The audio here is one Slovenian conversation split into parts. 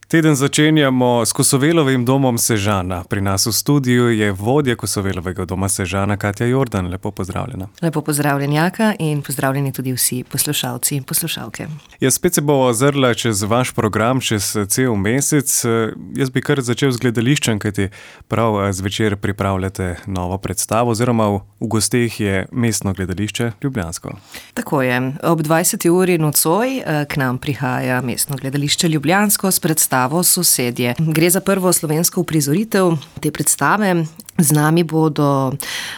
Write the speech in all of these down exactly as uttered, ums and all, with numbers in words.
Teden začenjamo s Kosovelovim domom Sežana. Pri nas v studiu je vodja Kosovelovega doma Sežana, Katja Jordan. Lepo pozdravljena. Lepo pozdravljen, Jaka, in pozdravljeni tudi vsi poslušalci in poslušalke. Ja, spet se bo ozrla čez vaš program, čez cel mesec. Jaz bi kar začel z gledališčem, kajti prav zvečer pripravljate novo predstavo, oziroma v, v gosteh je Mestno gledališče Ljubljansko. Tako je. Ob dvajseti uri nocoj k nam prihaja Mestno gledališče Ljubljansko s predstavo Sosedje. Gre za prvo slovensko uprizoritev te predstave. Z nami bodo uh,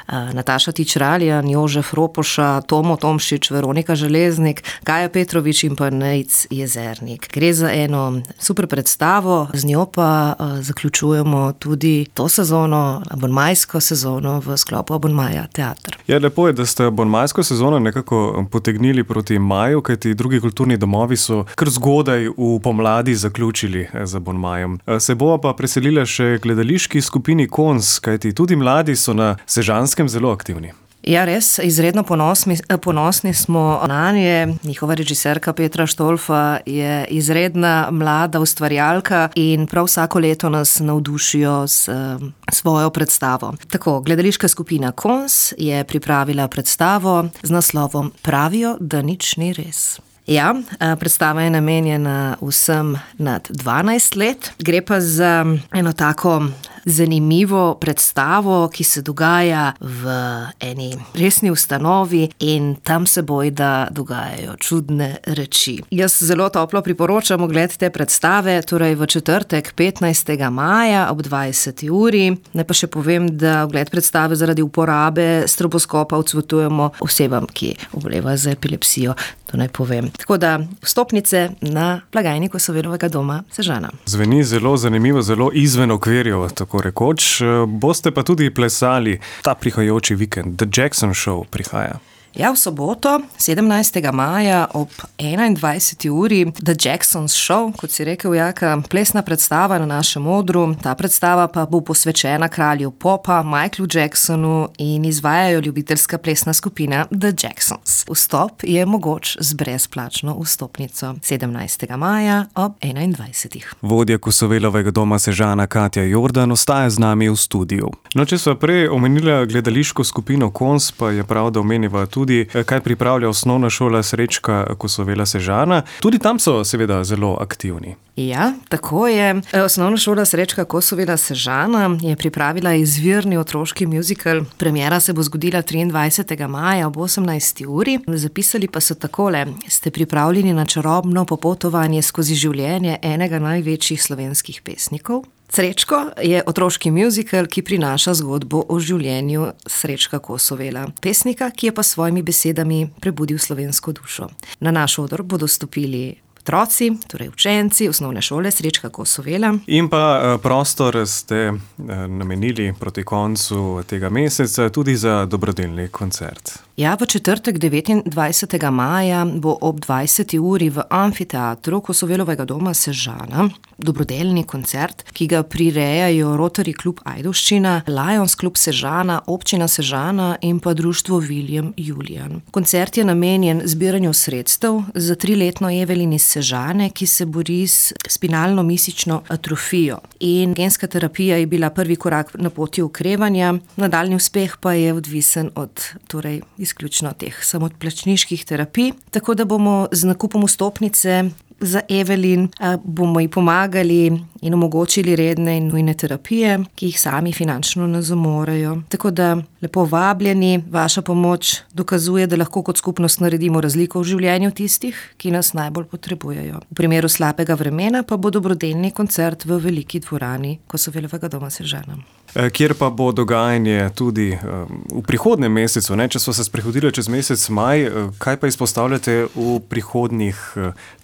Nataša Tičraljan, Jožef Ropoša, Tomo Tomšič, Veronika Železnik, Kaja Petrovič in pa Nejc Jezernik. Gre za eno super predstavo, z njo pa uh, zaključujemo tudi to sezono, abonmajsko sezono v sklopu Abonmaja teater. Ja, lepo je, da ste abonmajsko sezono nekako potegnili proti maju, kajti drugi kulturni domovi so kar zgodaj v pomladi zaključili z abonmajem. Se bo pa preselila še gledališki skupini Kons, kajti tudi mladi so na Sežanskem zelo aktivni. Ja, res, izredno ponosni, ponosni smo na nje. Njihova režiserka Petra Štolfa je izredna mlada ustvarjalka in prav vsako leto nas navdušijo s svojo predstavo. Tako, gledališka skupina Kons je pripravila predstavo z naslovom Pravijo, da nič ni res. Ja, predstava je namenjena vsem nad dvanajst let. Gre pa za eno tako zanimivo predstavo, ki se dogaja v eni resni ustanovi in tam se bojda dogajajo čudne reči. Jaz zelo toplo priporočam ogled te predstave, torej v četrtek petnajstega maja ob dvajseti uri. Ne pa še povem, da ogled predstave zaradi uporabe stroboskopa odsvetujemo osebam, ki obolevajo za epilepsijo. To naj povem. Tako da vstopnice na blagajni Kosovelovega doma Sežana. Zveni zelo zanimivo, zelo izven okvirjev, tako rekoč. Boste pa tudi plesali ta prihajajoči vikend. The Jackson Show prihaja. Ja, v soboto, sedemnajstega maja ob enaindvajseti uri The Jackson's Show, kot si rekel, Jaka, plesna predstava na našem odru. Ta predstava pa bo posvečena kralju popa Michaelu Jacksonu in izvajajo ljubiteljska plesna skupina The Jacksons. Vstop je mogoč z brezplačno vstopnico sedemnajstega maja ob enaindvajsetih. Vodja Kosovelovega doma Sežana Katja Jordan ostaja z nami v studiu. No, če sva prej omenila gledališko skupino Kons, pa je prav, da omeniva tudi tudi, kaj pripravlja osnovna šola Srečka Kosovela Sežana. Tudi tam so seveda zelo aktivni. Ja, tako je. Osnovna šola Srečka Kosovela Sežana je pripravila izvirni otroški muzikal. Premiera se bo zgodila triindvajsetega maja ob osemnajsti uri. Zapisali pa so takole: ste pripravljeni na čarobno popotovanje skozi življenje enega največjih slovenskih pesnikov? Srečko je otroški muzikal, ki prinaša zgodbo o življenju Srečka Kosovela, pesnika, ki je pa s svojimi besedami prebudil slovensko dušo. Na naš odr bodo stopili otroci, torej učenci osnovne šole Srečka Kosovela. In pa prostor ste namenili proti koncu tega meseca tudi za dobrodelni koncert. Ja, v četrtek devetindvajsetega maja bo ob dvajseti uri v amfiteatru Kosovelovega doma Sežana dobrodelni koncert, ki ga prirejajo Rotary klub Ajdovščina, Lions klub Sežana, občina Sežana in pa društvo William Julian. Koncert je namenjen zbiranju sredstev za triletno Evelin iz Sežane, ki se bori s spinalno-mišično atrofijo. In genska terapija je bila prvi korak na poti okrevanja, nadaljnji uspeh pa je odvisen od torej izključno teh samoplačniških terapij, tako da bomo z nakupom vstopnice za Evelin bomo ji pomagali in omogočili redne in nujne terapije, ki jih sami finančno ne zamorejo. Tako da lepo vabljeni, vaša pomoč dokazuje, da lahko kot skupnost naredimo razliko v življenju tistih, ki nas najbolj potrebujejo. V primeru slabega vremena pa bo dobrodelni koncert v veliki dvorani Kosovelovega doma Sežana. Kjer pa bo dogajanje tudi v prihodnjem mesecu, ne? Če smo se sprehodili čez mesec maj, kaj pa izpostavljate v prihodnjih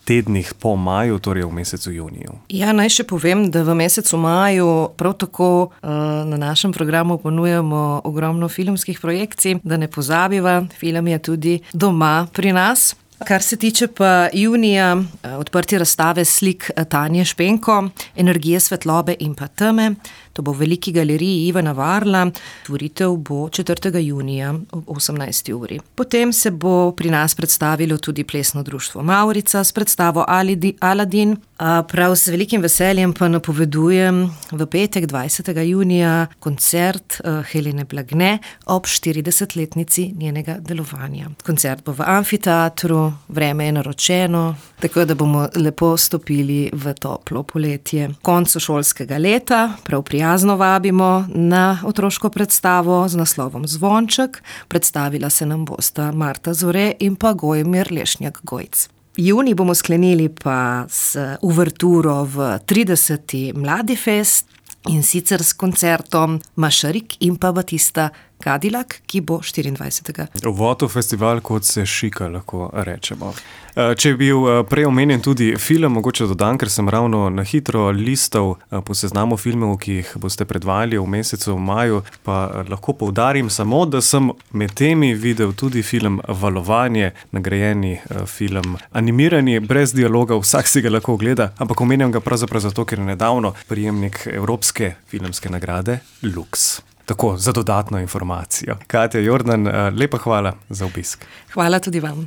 tednih po maju, torej v mesecu juniju? Ja, naj še povem, da v mesecu maju prav tako na našem programu ponujamo ogromno filmskih projekcij, da ne pozabiva, film je tudi doma pri nas. Kar se tiče pa junija, odprtje razstave slik Tanje Špenko, Energije svetlobe in pa teme. To bo v Veliki galeriji Ivana Varla. Tvoritev bo četrtega junija ob osemnajsti uri. Potem se bo pri nas predstavilo tudi plesno društvo Mavrica s predstavo Aladin. Prav z velikim veseljem pa napovedujem v petek dvajsetega junija koncert Helene Blagne ob štiridesetletnici njenega delovanja. Koncert bo v amfiteatru, vreme je naročeno, tako da bomo lepo stopili v toplo poletje. Koncu šolskega leta prav prijazno vabimo na otroško predstavo z naslovom Zvonček. Predstavila se nam bosta Marta Zore in pa Gojmir Lešnjak-Gojc. Junij bomo sklenili pa s uverturo v trideseti Mladifest in sicer s koncertom Mašarik in pa Batista Cadillac, ki bo štiriindvajsetega Uvod v festival, kot se šika, lahko rečemo. Če je bil prej omenjen tudi film, mogoče dodam, ker sem ravno na hitro listal po seznamu filmov, ki jih boste predvajali v mesecu maju, pa lahko poudarim samo, da sem med temi videl tudi film Valovanje, nagrajeni film, animirani, brez dialoga, vsak si ga lahko ogleda, ampak omenjam ga pravzaprav zato, ker je nedavno prejemnik Evropske filmske nagrade Lux. Tako, za dodatno informacijo. Katja Jordan, lepa hvala za obisk. Hvala tudi vam.